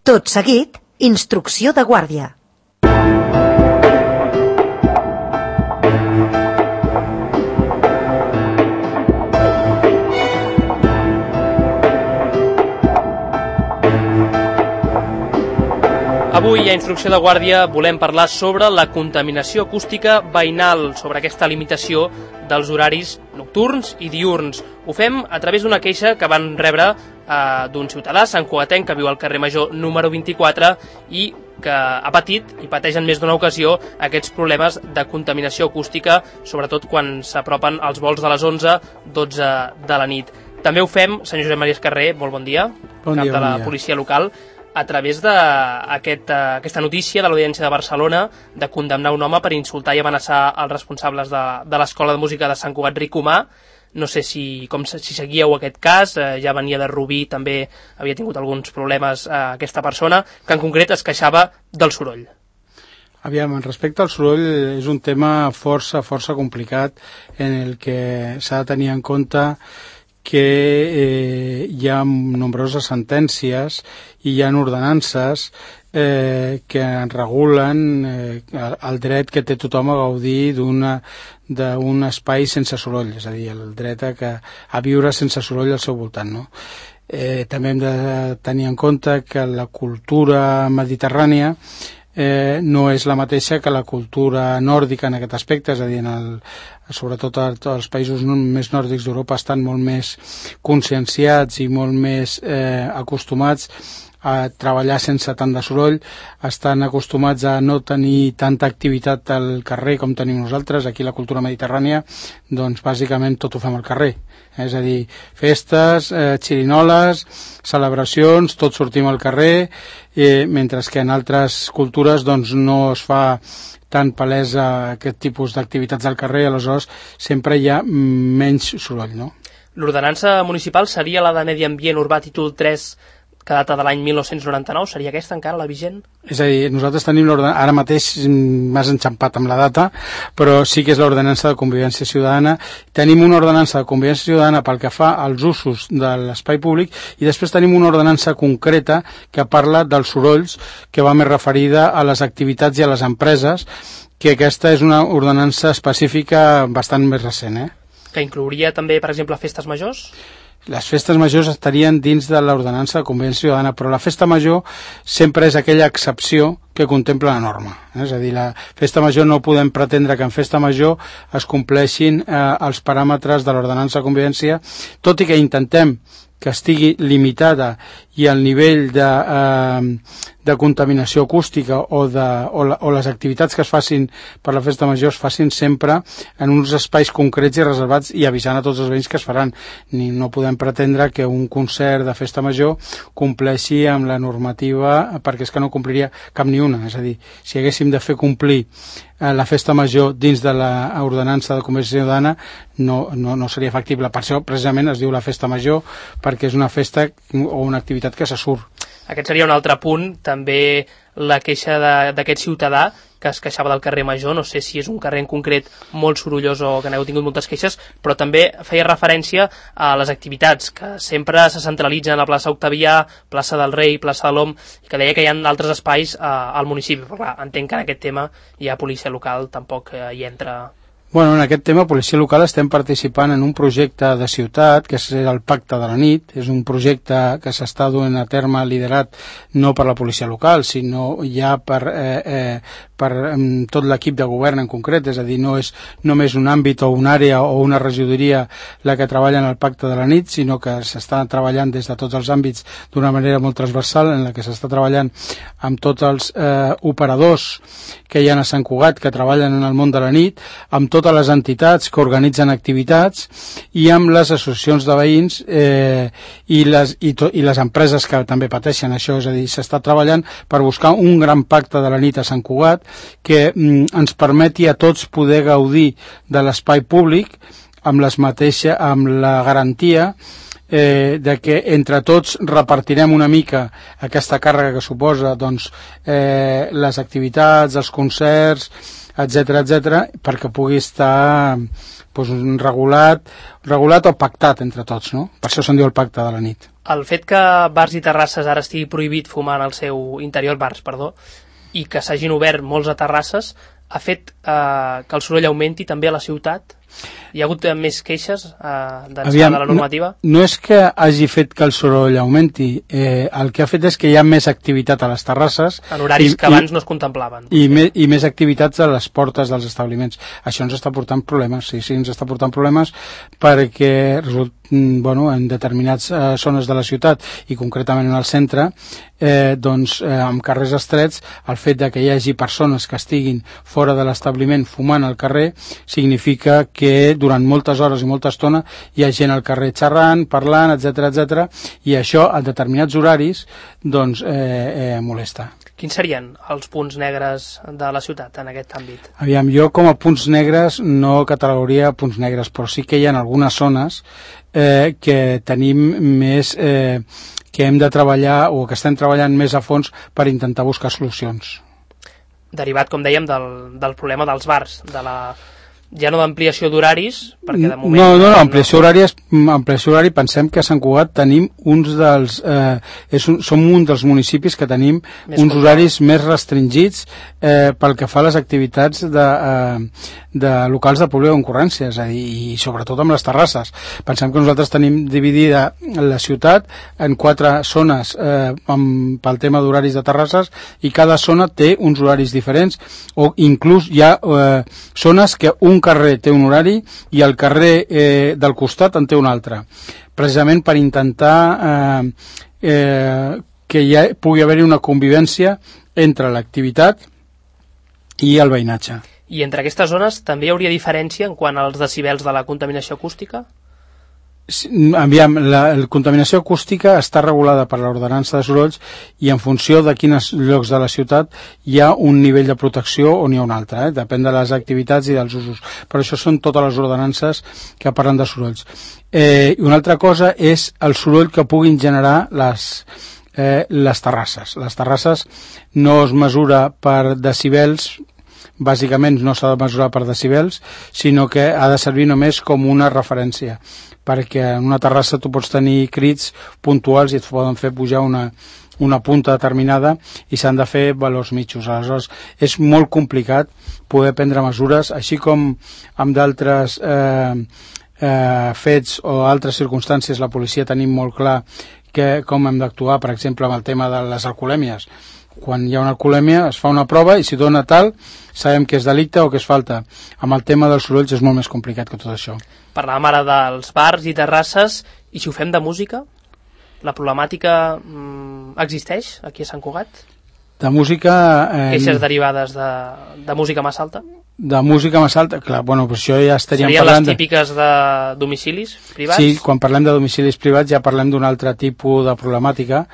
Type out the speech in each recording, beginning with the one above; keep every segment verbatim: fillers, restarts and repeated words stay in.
Tot seguit, instrucció de guàrdia. Avui a Instrucció de Guàrdia volem parlar sobre la contaminació acústica veïnal, sobre aquesta limitació dels horaris nocturns i diürns. Ho fem a través d'una queixa que van rebre eh, d'un ciutadà santcugatenc que viu al carrer Major número vint-i-quatre i que ha patit i pateix en més d'una ocasió aquests problemes de contaminació acústica, sobretot quan s'apropen els vols de les onze dotze de la nit. També ho fem, senyor Josep Maria Escarrer, molt bon dia, bon cap dia, de la bon dia. policia local, a través d'aquesta aquest, notícia de l'Audiència de Barcelona de condemnar un home per insultar i amenaçar els responsables de, de l'Escola de Música de Sant Cugat Ricomà. No sé si, com, si seguíeu aquest cas, eh, ja venia de Rubí, també havia tingut alguns problemes eh, aquesta persona, que en concret es queixava del soroll. Aviam, respecte al soroll, és un tema força, força complicat en el que s'ha de tenir en compte que eh, hi ha nombroses sentències i hi ha ordenances eh, que regulen eh, el dret que té tothom a gaudir d'una d'un espai sense soroll, és a dir, el dret a, que, a viure sense soroll al seu voltant, no? Eh, també hem de tenir en compte que la cultura mediterrània eh, no és la mateixa que la cultura nòrdica en aquest aspecte, és a dir, en el, sobretot els països més nòrdics d'Europa estan molt més conscienciats i molt més eh, acostumats a treballar sense tant de soroll, estan acostumats a no tenir tanta activitat al carrer com tenim nosaltres. Aquí la cultura mediterrània, doncs bàsicament tot ho fem al carrer, és a dir, festes, eh, xirinoles, celebracions, tot sortim al carrer, eh, mentre que en altres cultures doncs no es fa tan palesa aquest tipus d'activitats al carrer, aleshores sempre hi ha menys soroll, no? L'ordenança municipal seria la de Medi Ambient Urbà títol tres, que data de l'any mil nou-cents noranta-nou, seria aquesta encara la vigent? És a dir, nosaltres tenim l'ordenança, ara mateix m'has enxampat amb la data, però sí que és l'ordenança de convivència ciutadana. Tenim una ordenança de convivència ciutadana pel que fa als usos de l'espai públic i després tenim una ordenança concreta que parla dels sorolls, que va més referida a les activitats i a les empreses, que aquesta és una ordenança específica bastant més recent, eh? Que inclouria també, per exemple, festes majors? Les festes majors estarien dins de l'ordenança de convivència ciutadana, però la festa major sempre és aquella excepció que contempla la norma. És a dir, la festa major no podem pretendre que en festa major es compleixin eh, els paràmetres de l'ordenança de convivència, tot i que intentem que estigui limitada i el nivell de, eh, de contaminació acústica o, de, o, la, o les activitats que es facin per la festa major es facin sempre en uns espais concrets i reservats i avisant a tots els veïns que es faran. Ni no podem pretendre que un concert de festa major compleixi amb la normativa, perquè és que no compliria cap ni una. És a dir, si haguéssim de fer complir la festa major dins de l'ordenança de convivència ciutadana no, no, no seria factible. Per això precisament es diu la festa major, perquè és una festa o una activitat que se surt. Aquest seria un altre punt, també la queixa d'aquest ciutadà que es queixava del carrer Major. No sé si és un carrer en concret molt sorollós o que n'heu tingut moltes queixes, però també feia referència a les activitats que sempre se centralitzen a la plaça Octavià, plaça del Rei, plaça de l'Om, i que deia que hi ha altres espais eh, al municipi. Però clar, entenc que en aquest tema ja policia local tampoc eh, hi entra. Bueno, en aquest tema, Policia Local, estem participant en un projecte de ciutat, que és el Pacte de la Nit. És un projecte que s'està duent a terme liderat no per la Policia Local, sinó ja per, eh, eh, per eh, tot l'equip de govern en concret. És a dir, no és només un àmbit o una àrea o una regidoria la que treballa en el Pacte de la Nit, sinó que s'està treballant des de tots els àmbits d'una manera molt transversal, en la que s'està treballant amb tots els eh, operadors que hi ha a Sant Cugat, que treballen en el món de la nit, amb totes les entitats que organitzen activitats i amb les associacions de veïns eh, i, les, i, to, i les empreses que també pateixen això. És a dir, s'està treballant per buscar un gran pacte de la nit a Sant Cugat que mm, ens permeti a tots poder gaudir de l'espai públic amb, les mateixa, amb la garantia Eh, de que entre tots repartirem una mica aquesta càrrega que suposa doncs, eh, les activitats, els concerts, etcètera, etcètera, perquè pugui estar doncs, regulat, regulat o pactat entre tots, no? Per això se'n diu el Pacte de la Nit. El fet que bars i terrasses ara estigui prohibit fumar en el seu interior, bars, perdó, i que s'hagin obert molts a terrasses, ha fet eh, que el soroll augmenti també a la ciutat? Hi ha hagut més queixes eh, d'ençà de la normativa? No, no és que hagi fet que el soroll augmenti, eh, el que ha fet és que hi ha més activitat a les terrasses. En horaris i, que abans i, no es contemplaven. I, me, I més activitats a les portes dels establiments. Això ens està portant problemes, sí, sí, ens està portant problemes perquè result, bueno, en determinades eh, zones de la ciutat i concretament en el centre, eh, doncs eh, amb carrers estrets, el fet de que hi hagi persones que estiguin fora de l'establiment fumant al carrer significa que durant moltes hores i molta estona hi ha gent al carrer xerrant, parlant, etcètera, etcètera, i això a determinats horaris doncs eh, eh, molesta. Quins serien els punts negres de la ciutat en aquest àmbit? Aviam, jo com a punts negres no catalogaria punts negres, però sí que hi ha algunes zones eh, que tenim més, eh, que hem de treballar o que estem treballant més a fons per intentar buscar solucions. Derivat, com dèiem, del, del problema dels bars, de la... ja no d'ampliació d'horaris, perquè de moment... No, no, no, ampliació horària, ampliació horària, pensem que a Sant Cugat tenim uns dels... Eh, és un, som un dels municipis que tenim més uns control. Horaris més restringits eh, pel que fa a les activitats de, eh, de locals de pública concurrència, és a dir, i sobretot amb les terrasses. Pensem que nosaltres tenim dividida la ciutat en quatre zones eh, amb, pel tema d'horaris de terrasses i cada zona té uns horaris diferents o inclús hi ha eh, zones que un carrer té un horari i el carrer eh, del costat en té un altre, precisament per intentar eh, eh, que hi ha, pugui haver-hi una convivència entre l'activitat i el veïnatge. I entre aquestes zones també hi hauria diferència en quant als decibels de la contaminació acústica? Aviam, la, la contaminació acústica està regulada per l'ordenança de sorolls i en funció de quins llocs de la ciutat hi ha un nivell de protecció o n'hi ha un altre, eh? Depèn de les activitats i dels usos, però això són totes les ordenances que parlen de sorolls. Eh, i una altra cosa és el soroll que puguin generar les, eh, les terrasses. Les terrasses no es mesura per decibels, bàsicament no s'ha de mesurar per decibels, sinó que ha de servir només com una referència, perquè en una terrassa tu pots tenir crits puntuals i et poden fer pujar una, una punta determinada i s'han de fer valors mitjos. Aleshores, és molt complicat poder prendre mesures, així com amb d'altres eh, eh, fets o altres circumstàncies la policia tenim molt clar que, com hem d'actuar, per exemple, amb el tema de les alcoholèmies. Quan hi ha una alcoholèmia es fa una prova i si dona tal sabem que és delicte o que és falta. Amb el tema dels sorolls és molt més complicat que tot això. Parlàvem ara dels bars i terrasses, i si ho fem de música? La problemàtica mmm, existeix aquí a Sant Cugat? De música... Eh, Queixes derivades de, de música massa alta? De música massa alta, clar, bueno, però això ja estaríem Serien parlant... les típiques de domicilis privats? Sí, quan parlem de domicilis privats ja parlem d'un altre tipus de problemàtica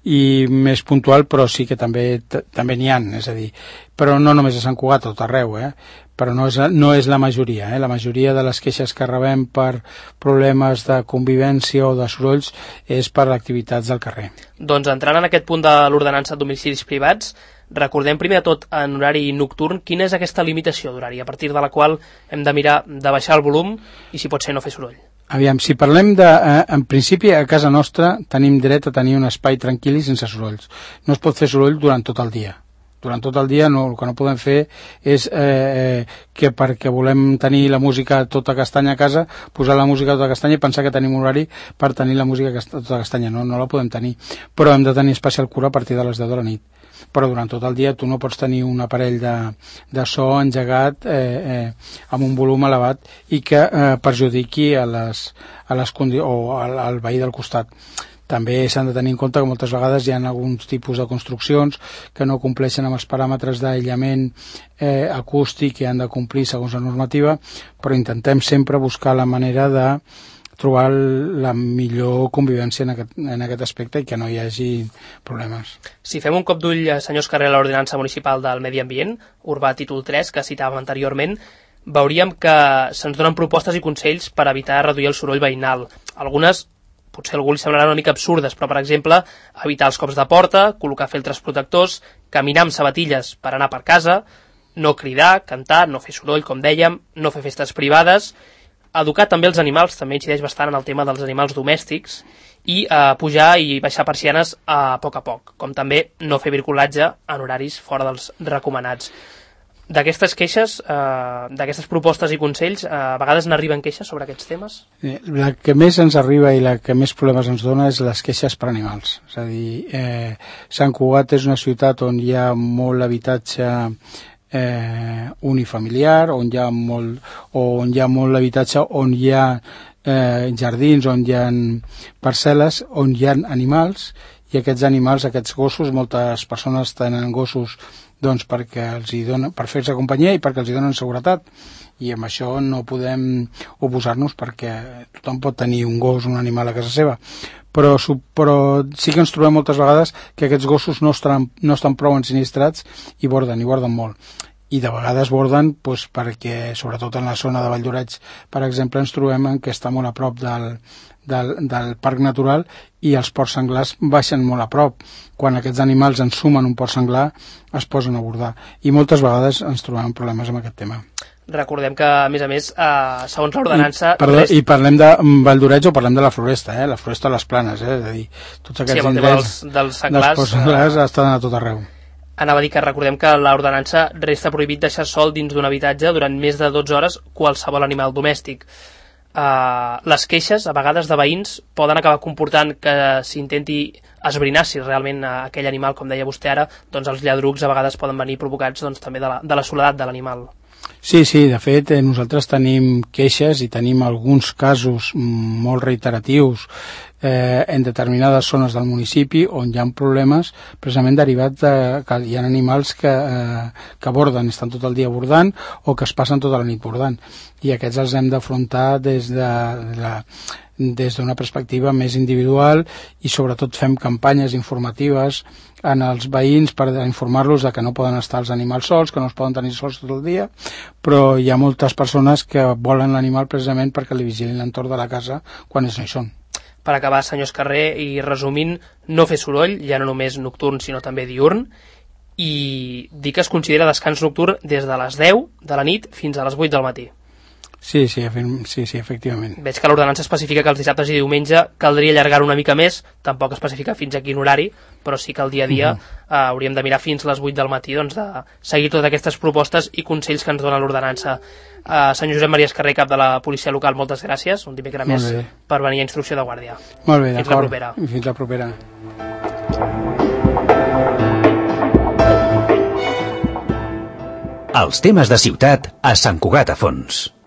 i més puntual, però sí que també també n'hi ha, és a dir, però no només a Sant Cugat, tot arreu, eh? Però no és, no és la majoria, eh? La majoria de les queixes que rebem per problemes de convivència o de sorolls és per activitats del carrer. Doncs entrant en aquest punt de l'ordenança de domicilis privats, recordem primer de tot en horari nocturn quina és aquesta limitació d'horari, a partir de la qual hem de mirar de baixar el volum i si pot ser no fer soroll. Aviam, si parlem de... Eh, en principi, a casa nostra tenim dret a tenir un espai tranquil i sense sorolls. No es pot fer soroll durant tot el dia. Durant tot el dia no, el que no podem fer és eh, que perquè volem tenir la música tota castanya a casa, posar la música tota castanya i pensar que tenim un horari per tenir la música tota castanya. No, no la podem tenir. Però hem de tenir especial cura a partir de les deu de la nit. Però durant tot el dia tu no pots tenir un aparell de, de so engegat eh, eh, amb un volum elevat i que eh, perjudiqui a les, a les condi- o al, al veí del costat. També s'han de tenir en compte que moltes vegades hi ha alguns tipus de construccions que no compleixen amb els paràmetres d'aïllament eh, acústic i han de complir segons la normativa, però intentem sempre buscar la manera de trobar la millor convivència en aquest, en aquest aspecte i que no hi hagi problemes. Si fem un cop d'ull, senyor Escarré, a l'Ordenança Municipal del Medi Ambient, Urbà títol tres, que citàvem anteriorment, veuríem que se'ns donen propostes i consells per evitar reduir el soroll veïnal. Algunes potser a algú li semblaran una mica absurdes, però, per exemple, evitar els cops de porta, col·locar filtres protectors, caminar amb sabatilles per anar per casa, no cridar, cantar, no fer soroll, com dèiem, no fer festes privades. educar també els animals, també incideix bastant en el tema dels animals domèstics, i eh, pujar i baixar persianes a poc a poc, com també no fer bricolatge en horaris fora dels recomanats. D'aquestes queixes, eh, d'aquestes propostes i consells, eh, a vegades n'arriben queixes sobre aquests temes? La que més ens arriba i la que més problemes ens dona és les queixes per animals. És a dir, eh, Sant Cugat és una ciutat on hi ha molt habitatge eh, unifamiliar, on hi ha molt, on hi ha molt habitatge on hi ha eh, jardins, on hi ha parcel·les, on hi ha animals, i aquests animals, aquests gossos, moltes persones tenen gossos doncs perquè els hi donen, per fer-se companyia i perquè els hi donen seguretat, i amb això no podem oposar-nos perquè tothom pot tenir un gos, un animal a casa seva, però, però sí que ens trobem moltes vegades que aquests gossos no estan, no estan prou ensinistrats i borden, i borden molt. I de vegades borden doncs, perquè, sobretot en la zona de Valldoreix, per exemple, ens trobem en que està molt a prop del, del, del parc natural i els porcs senglars baixen molt a prop. Quan aquests animals ensumen un porc senglar es posen a bordar. I moltes vegades ens trobem problemes amb aquest tema. Recordem que, a més a més, eh, segons l'ordenança... I, perdó, rest... I parlem de Valldoreix o parlem de la floresta, eh? La floresta a les planes, eh? És a dir, tots aquests sí, indrets dels, dels senglars, dels porcs senglars eh... estan a tot arreu. Anava a dir que recordem que l'ordenança resta prohibit deixar sol dins d'un habitatge durant més de dotze hores qualsevol animal domèstic. Uh, les queixes, a vegades de veïns, poden acabar comportant que s'intenti esbrinar si realment uh, aquell animal, com deia vostè ara, doncs els lladrucs a vegades poden venir provocats doncs, també de la, de la soledat de l'animal. Sí, sí, de fet, eh, nosaltres tenim queixes i tenim alguns casos molt reiteratius eh, en determinades zones del municipi on hi ha problemes precisament derivats de que hi ha animals que, eh, que borden, estan tot el dia bordant o que es passen tota la nit bordant, i aquests els hem d'afrontar des de la des d'una perspectiva més individual, i sobretot fem campanyes informatives en els veïns per informar-los de que no poden estar els animals sols, que no es poden tenir sols tot el dia, però hi ha moltes persones que volen l'animal precisament perquè li vigilin l'entorn de la casa quan ells no hi són. Per acabar, senyor Escarré, i resumint, no fer soroll, ja no només nocturn sinó també diurn, i dir que es considera descans nocturn des de les deu de la nit fins a les vuit del matí. Sí, sí, sí, sí, efectivament. Veig que l'ordenança especifica que els dissabtes i diumenge caldria allargar una mica més, tampoc especifica fins a quin horari, però sí que el dia a dia uh-huh. eh, hauríem de mirar fins les vuit del matí, doncs, de seguir totes aquestes propostes i consells que ens dona l'ordenança. Eh, senyor Josep Maria Escarré, cap de la policia local, moltes gràcies, un dimecres més, per venir a Instrucció de Guàrdia. Molt bé, d'acord. Fins la propera. Fins la propera. Els temes de ciutat a Sant Cugat a Fons.